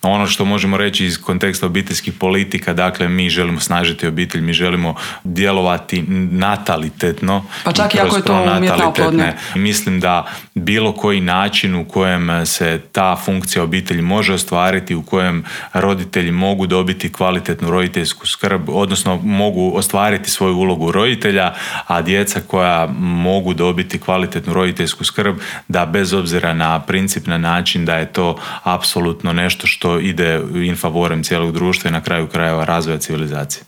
Ono što možemo reći iz konteksta obiteljskih politika, dakle mi želimo snažiti obitelj, mi želimo djelovati natalitetno. Pa čak i ako je to umjetna oplodnja. Mislim da bilo koji način u kojem se ta funkcija obitelji može ostvariti, u kojem roditelji mogu dobiti kvalitetnu roditeljsku skrb, odnosno mogu ostvariti svoju ulogu roditelja, a djeca koja mogu dobiti kvalitetnu roditeljsku skrb, da bez obzira na princip, na način da je to apsolutno nešto što ide in favorem cijelog društva i na kraju krajeva razvoja civilizacije.